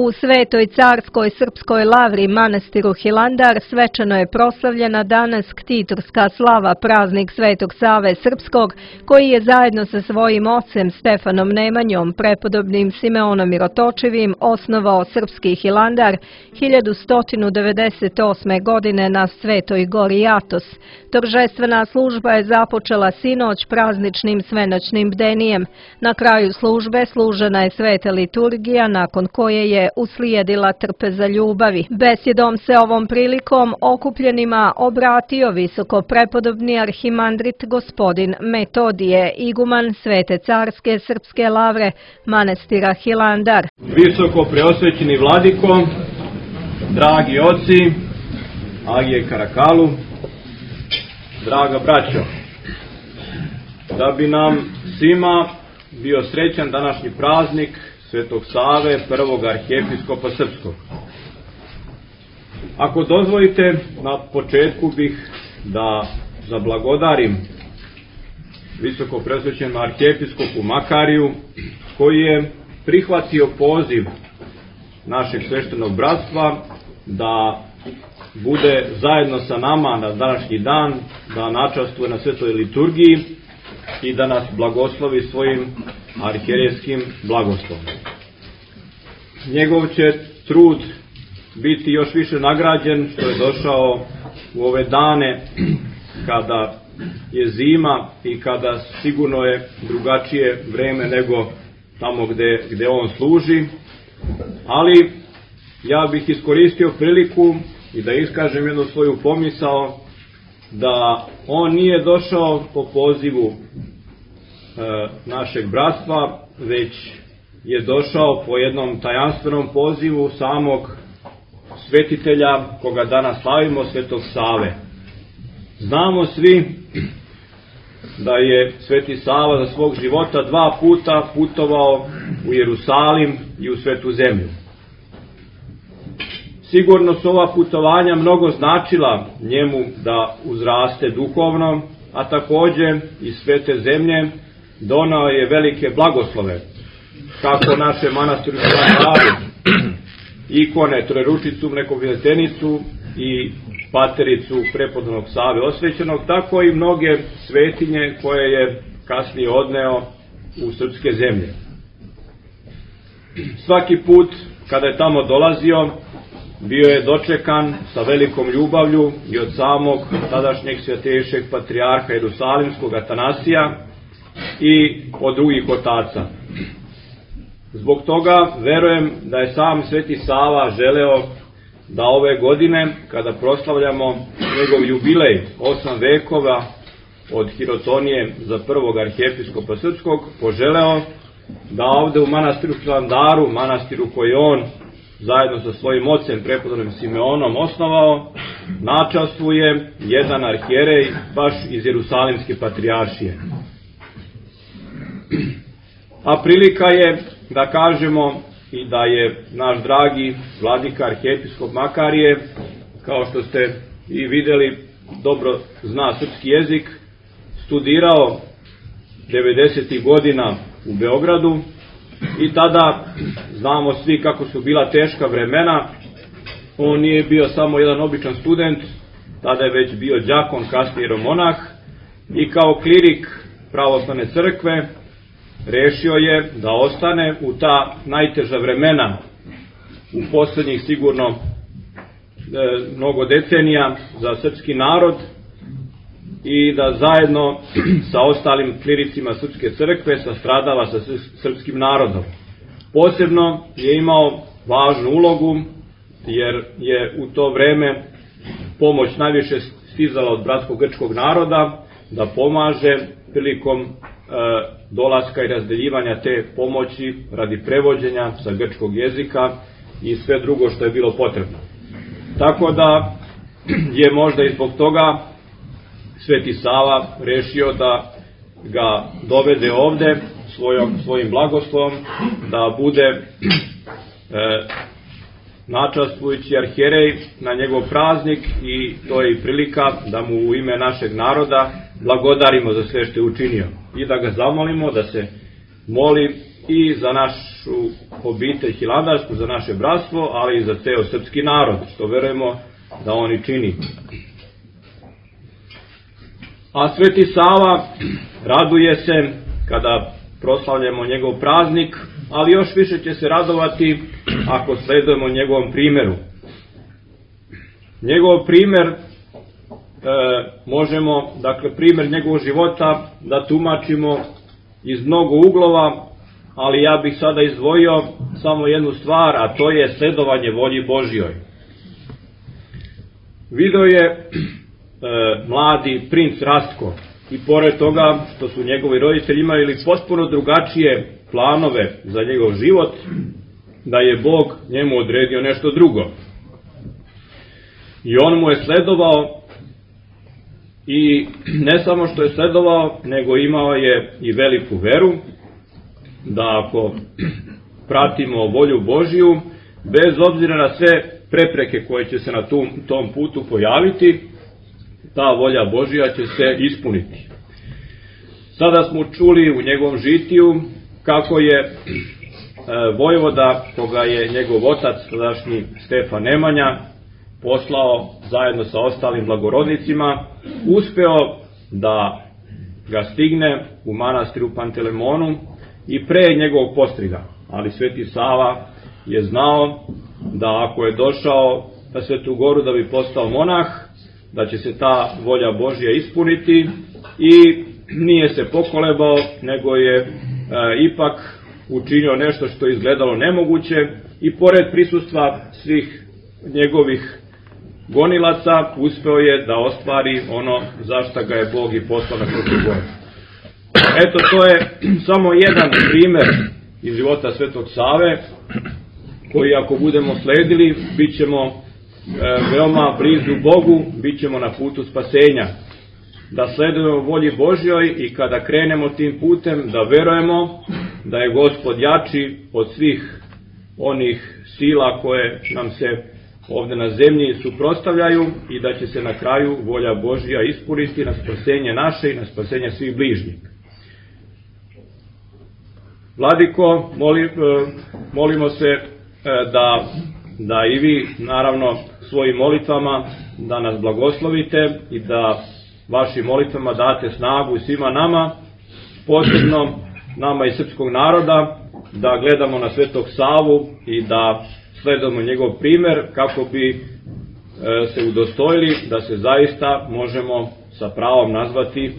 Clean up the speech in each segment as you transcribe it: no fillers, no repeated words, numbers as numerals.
U Svetoj carskoj srpskoj lavri manastiru Hilandar svečano je proslavljena danas ktitorska slava, praznik Svetog Save Srpskog, koji je zajedno sa svojim ocem Stefanom Nemanjom, prepodobnim Simeonom Mirotočivim, osnovao srpski Hilandar 1198. godine na Svetoj gori Atos. Торжествена služba je započela sinoć prazničnim svenoćnim bdenijem. Na kraju službe služena je sveta liturgija, nakon koje je uslijedila trpeza ljubavi. Besjedom se ovom prilikom okupljenima obratio visoko prepodobni arhimandrit gospodin Metodije, iguman Svete carske srpske lavre manastira Hilandar. Visoko preosvećeni vladiko, dragi oci, Agije Karakalu, draga braćo, da bi nam svima bio srećan današnji praznik Svetog Save, prvog arhijepiskopa srpskog. Ako dozvolite, na početku bih da zablagodarim visoko preosvećenom arhijepiskopu Makariju, koji je prihvatio poziv našeg sveštenog bratstva da bude zajedno sa nama na današnji dan, da načastvuje na svetoj liturgiji i da nas blagoslovi svojim arhijerejskim blagoslovom. Njegov će trud biti još više nagrađen što je došao u ove dane kada je zima i kada sigurno je drugačije vreme nego tamo gde on služi, ali ja bih iskoristio priliku i da iskažem jednu svoju pomisao da on nije došao po pozivu našeg bratstva, već je došao po jednom tajanstvenom pozivu samog svetitelja koga danas slavimo, Svetog Save. Znamo svi da je Sveti Sava za svog života 2 puta putovao u Jerusalim i u Svetu zemlju. Sigurno su ova putovanja mnogo značila njemu da uzraste duhovno, a takođe iz Svete zemlje donao je velike blagoslove, kako naše manastiru Hilandaru, ikone Trojeručicu, Mnekovidetenicu i Patericu prepodobnog Save osvećenog, tako i mnoge svetinje koje je kasnije odneo u srpske zemlje. Svaki put kada je tamo dolazio, bio je dočekan sa velikom ljubavlju i od samog tadašnjeg svetejšeg patrijarha Jerusalimskog Atanasija i od drugih otaca. Zbog toga verujem da je sam Sveti Sava želeo da ove godine, kada proslavljamo njegov jubilej 8 vekova od Hirotonije za prvog arhijepiskopa srpskog, poželeo da ovde u manastiru Hilandaru, manastiru koji on zajedno sa svojim ocem prepodobnim Simeonom osnovao, načastvuje jedan arhijerej baš iz Jerusalimske patrijaršije. A prilika je da kažemo i da je naš dragi vladika arhijepiskop Makarije, kao što ste i videli, dobro zna srpski jezik, studirao 90. godina u Beogradu i tada znamo svi kako su bila teška vremena. On nije bio samo jedan običan student, tada je već bio đakon, kasnije jeromonah, i kao klirik pravoslavne crkve rešio je da ostane u ta najteža vremena u poslednjih sigurno mnogo decenija za srpski narod i da zajedno sa ostalim kliricima srpske crkve sastradava sa srpskim narodom. Posebno je imao važnu ulogu jer je u to vreme pomoć najviše stizala od bratsko-grčkog naroda da pomaže prilikom dolaska i razdeljivanja te pomoći radi prevođenja sa grčkog jezika i sve drugo što je bilo potrebno. Tako da je možda i zbog toga Sveti Sava rešio da ga dovede ovde svojim blagoslovom, da bude načastvujući arhijerej na njegov praznik, i to je i prilika da mu u ime našeg naroda blagodarimo za sve što je učinio i da ga zamolimo da se moli i za našu našu obitelj hilandarsku, za naše bratstvo, ali i za ceo srpski narod, što verujemo da on i čini. A Sveti Sava raduje se kada proslavljamo njegov praznik, ali još više će se radovati ako sledujemo njegovom primeru. Njegov primer možemo, dakle primer njegovog života da tumačimo iz mnogo uglova, ali ja bih sada izdvojio samo jednu stvar, a to je sledovanje volji Božjoj. Video je mladi princ Rastko i pored toga što su njegovi roditelji imali potpuno drugačije planove za njegov život, da je Bog njemu odredio nešto drugo. I on mu je sledovao i ne samo što je sledovao, nego imao je i veliku veru da ako pratimo volju Božju, bez obzira na sve prepreke koje će se na tom putu pojaviti, ta volja Božja će se ispuniti. Sada smo čuli u njegovom žitiju kako je vojvoda, koga je njegov otac, tadašnji Stefan Nemanja, poslao zajedno sa ostalim blagorodnicima, uspeo da ga stigne u manastiru Pantelemonu i pre njegovog postriga. Ali Sveti Sava je znao da ako je došao na Svetu Goru da bi postao monah, da će se ta volja Božja ispuniti i nije se pokolebao, nego je ipak učinio nešto što je izgledalo nemoguće i pored prisustva svih njegovih gonilaca uspeo je da ostvari ono za šta ga je Bog i poslao na Svetu Goru. Eto, to je samo jedan primer iz života Svetog Save, koji ako budemo sledili, bit ćemo veoma blizu Bogu, bit ćemo na putu spasenja. Da sledujemo volji Božjoj i kada krenemo tim putem, da verujemo da je Gospod jači od svih onih sila koje nam se ovde na zemlji suprotstavljaju i da će se na kraju volja Božja ispuniti na spasenje naše i na spasenje svih bližnjih. Vladiko, molimo se da i vi, naravno, svojim molitvama da nas blagoslovite i da vašim molitvama date snagu svima nama, posebno nama iz srpskog naroda, da gledamo na Svetog Savu i da sledujemo njegov primer kako bi se udostojili da se zaista možemo sa pravom nazvati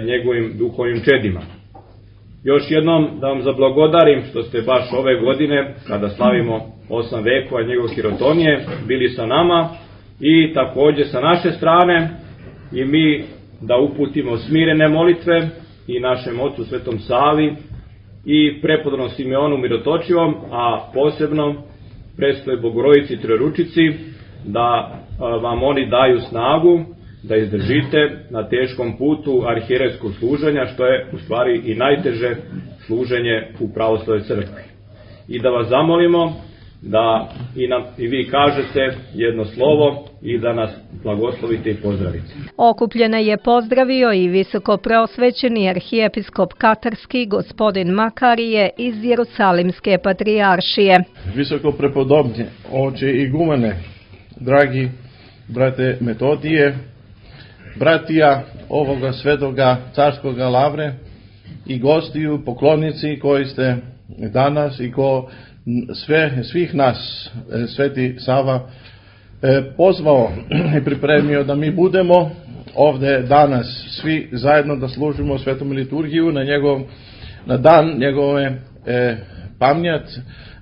njegovim duhovnim čedima. Još jednom da vam zablagodarim što ste baš ove godine, kada slavimo 8 vekova njegov hirotonije, bili sa nama i takođe sa naše strane i mi da uputimo smirene molitve i našem ocu Svetom Savi i prepodobnom Simeonu Mirotočivom, a posebno Presvetoj Bogorodici Trojeručici, da vam oni daju snagu da izdržite na teškom putu arhijerejskog služenja, što je u stvari i najteže služenje u pravoslavnoj crkvi. I da vas zamolimo da i vi kažete jedno slovo i da nas blagoslovite i pozdravite. Okupljene je pozdravio i visokopreosvećeni arhijepiskop Katarski gospodin Makarije iz Jerusalimske patrijaršije. Visokoprepodobni oče igumene, dragi brate Metodije, bratija ovoga svetoga carskoga Lavre i gostiju, poklonici koji ste danas i svih nas Sveti Sava pozvao i pripremio da mi budemo ovde danas svi zajedno da služimo svetom liturgiju na dan njegove pamnjat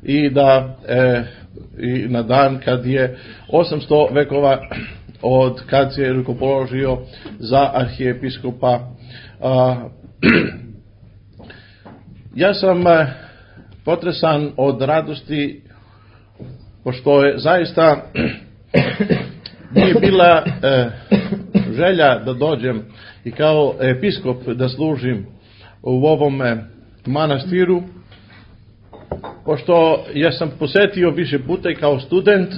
i na dan kad je 800 vekova od kad se je rukopoložio za arhijepiskopa. Ja sam potresan od radosti, pošto je zaista nije bila želja da dođem i kao episkop da služim u ovom manastiru, pošto ja sam posetio više puta i kao student,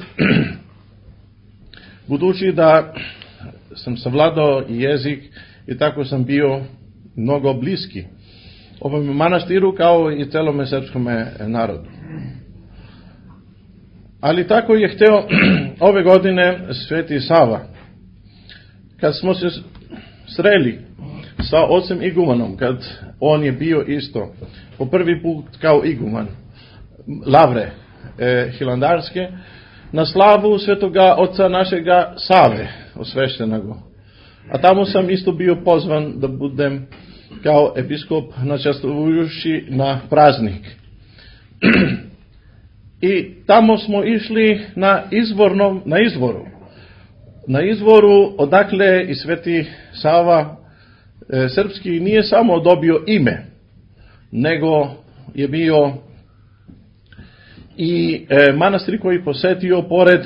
budući da sam savladao jezik i tako sam bio mnogo bliski ovom manastiru kao i celome srpskome narodu. Ali tako je hteo ove godine Sveti Sava. Kad smo se sreli sa ocem igumanom, kad on je bio isto po prvi put kao iguman Lavre Hilandarske, na slavu svetoga oca našega Save, osveštenago. A tamo sam isto bio pozvan da budem kao episkop načastvujući na praznik. I tamo smo išli na izvoru odakle i Sveti Sava srpski nije samo dobio ime, nego je bio i manastir koji posetio pored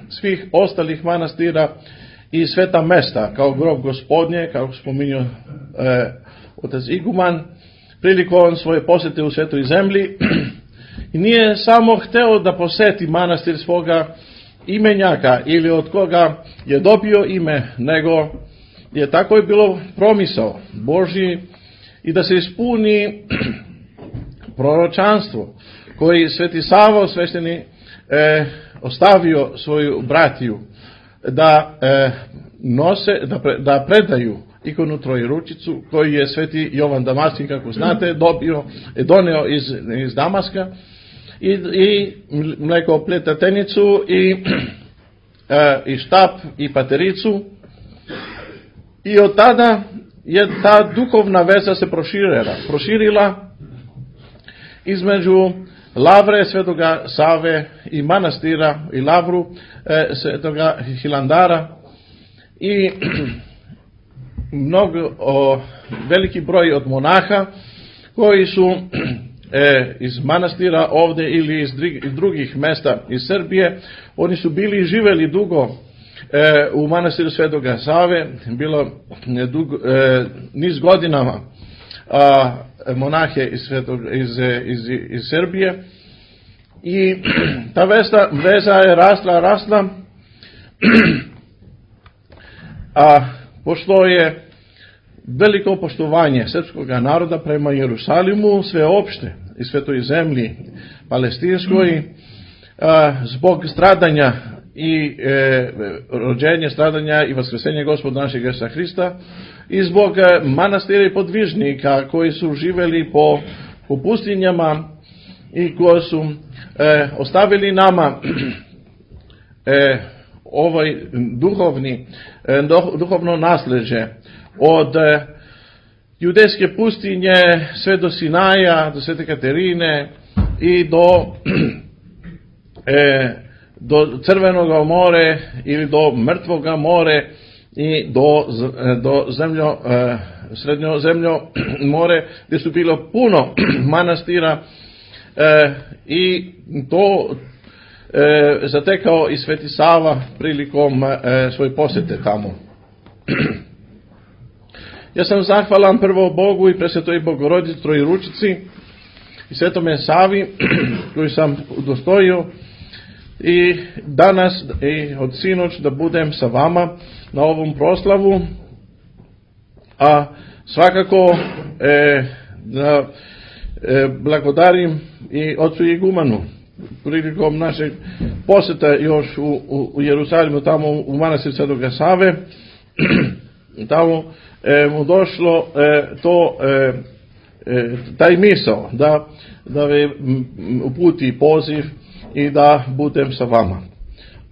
svih ostalih manastira i sveta mesta, kao grob Gospodnje, kako spominjao otac iguman, prilikom svoje posete u Svetoj zemlji. I nije samo hteo da poseti manastir svoga imenjaka ili od koga je dobio ime, nego je tako je bilo promisao Božji i da se ispuni proročanstvo koji Sveti Sava osvešteni ostavio svoju bratiju da da predaju ikonu Trojeručicu koju je Sveti Jovan Damaskin, kako znate, doneo iz Damaska i mlekopletenicu i štap i patericu. I od tada je ta duhovna veza se proširila između Lavre svetoga Save i manastira i Lavru svetoga Hilandara i veliki broj od monaha koji su iz manastira ovde ili iz drugih mesta iz Srbije. Oni su bili i živeli dugo u manastiru svetoga Save, bilo niz godinama monahe iz Srbije i ta veza je rasla, a pošto je veliko poštovanje srpskog naroda prema Jerusalimu sveopšte i Svetoj zemlji palestinskoj, zbog stradanja i rođenja, stradanja i vaskrsenja Gospoda našeg Isusa Hrista i zbog manastira i podvižnika koji su živeli po pustinjama i koji su ostavili nama ovaj duhovno nasleđe od judejske pustinje sve do Sinaja, do Svete Katerine i do Crvenog more ili do Mrtvoga more i do Srednjozemljo more, gdje su bilo puno manastira i to zatekao i Sveti Sava prilikom svoje posete tamo. Ja sam zahvalan prvo Bogu i Presvetoj Bogorodici Trojeručici i Svetome Savi koju sam udostojio i danas i od sinoć da budem sa vama na ovom proslavu, a svakako da blagodarim i ocu igumanu prilikom našeg poseta još u Jerusalimu, tamo u manastir Svetoga Save. Tamo mu došlo taj misao da me uputi poziv i da budem sa vama.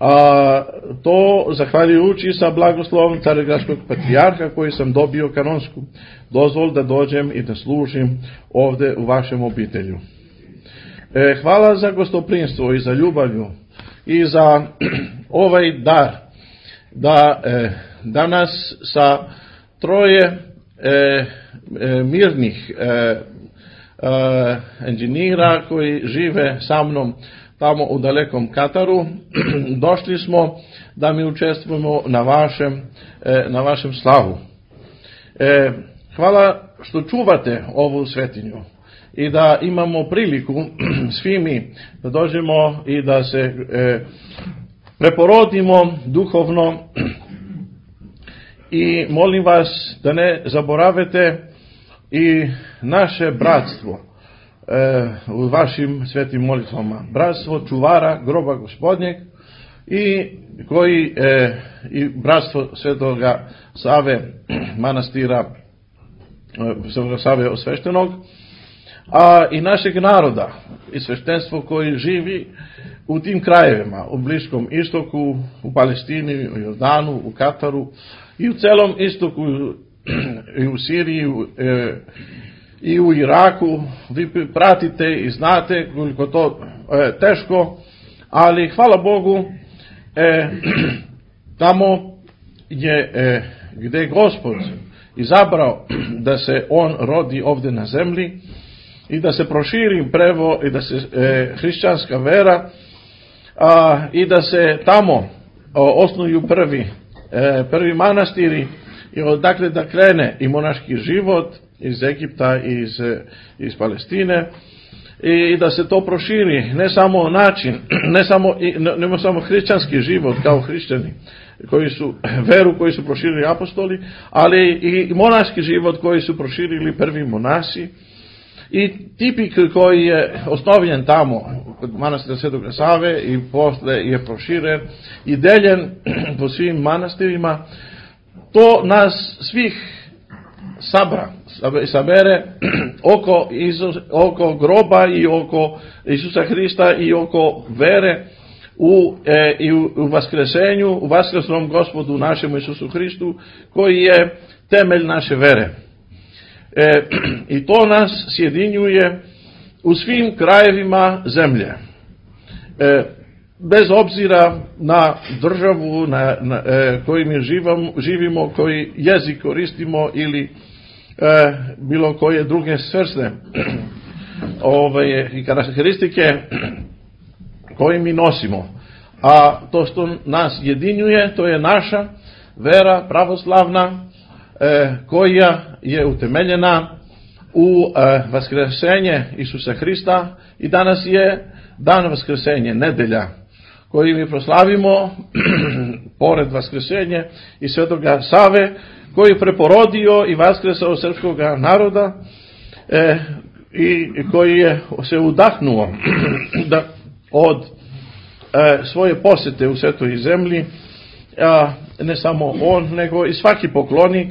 A to zahvaljujući sa blagoslovom Carigradskog patrijarha koji sam dobio kanonsku dozvolu da dođem i da služim ovde u vašem obitelju. Hvala za gostoprimstvo i za ljubavlju i za ovaj dar da danas sa troje mirnih inženjera koji žive sa mnom tamo u dalekom Kataru, došli smo da mi učestvujemo na vašem slavu. Hvala što čuvate ovu svetinju i da imamo priliku svi mi da dođemo i da se preporodimo duhovno i molim vas da ne zaboravite i naše bratstvo u vašim svetim molitvama, bratstvo čuvara groba Gospodnjeg i bratstvo Svetoga Save manastira Svetoga Save osveštenog, a i našeg naroda i sveštenstvo koji živi u tim krajevima, u Bliskom istoku, u Palestini, u Jordanu, u Kataru i u celom istoku, i u Siriji i u Iraku. Vi pratite i znate koliko to teško, ali hvala Bogu, tamo je gde je Gospod izabrao da se on rodi ovde na zemlji i da se proširi i da se hrišćanska vera i da se tamo osnuju prvi manastiri i odakle da krene i monaški život iz Egipta i iz Palestine i da se to proširi, ne samo način, ne samo hrišćanski život kao hrišćani koji su proširili apostoli, ali i monaški život koji su proširili prvi monasi i tipik koji je osnovljen tamo kod manastira Svetoga Save i posle je proširen i deljen po svim manastirima. To nas svih sabere oko groba i oko Isusa Hrista i oko vere u vaskresenju, u vaskresnom Gospodu našemu Isusu Hristu, koji je temelj naše vere. I to nas sjedinjuje u svim krajevima zemlje. Bez obzira na državu koju mi živimo, koji jezik koristimo ili bilo koje druge svrsne i karakteristike koje mi nosimo. A to što nas jedinjuje, to je naša vera pravoslavna, koja je utemeljena u vaskresenje Isusa Hrista i danas je dan vaskresenje, nedelja, koji mi proslavimo pored vaskresenje i Svetoga Save, koji je preporodio i vaskresao srpskog naroda i koji je se udahnuo od svoje posete u svetoj zemlji, ne samo on, nego i svaki poklonik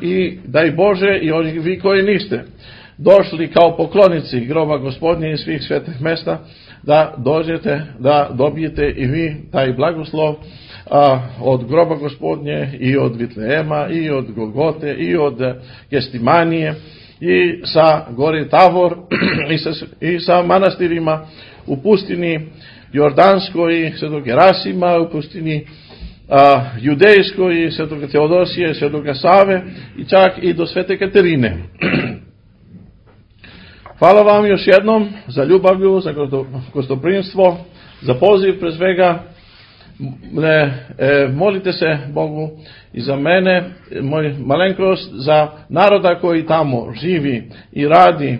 i daj Bože i oni vi koji niste došli kao poklonici groba Gospodnje i svih svetih mesta, da dođete, da dobijete i vi taj blagoslov od groba Gospodnje i od Vitlejema i od Golgote i od Gestimanije i sa gore Tavor i sa manastirima u pustini Jordanskoj, Svetog Gerasima, u pustini Judejskoj, Svetog Teodosije, Svetoga Save i čak i do Svete Katerine. Hvala vam još jednom za ljubavlju, za gostoprimstvo, za poziv pre svega. Molite se Bogu i za mene, moj malenkost, za naroda koji tamo živi i radi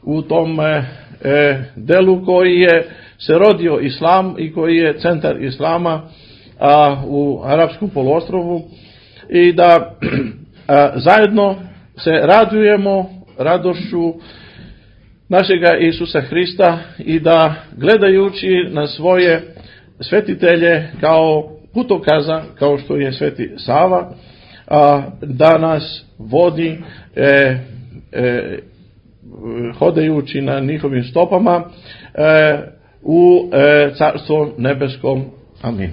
u tom delu koji je se rodio islam i koji je centar islama u Arapskom poluostrvu i da zajedno se radujemo radošću našega Isusa Hrista i da gledajući na svoje svetitelje kao putokaza, kao što je Sveti Sava, da nas vodi hodajući na njihovim stopama u Carstvom nebeskom. Amin.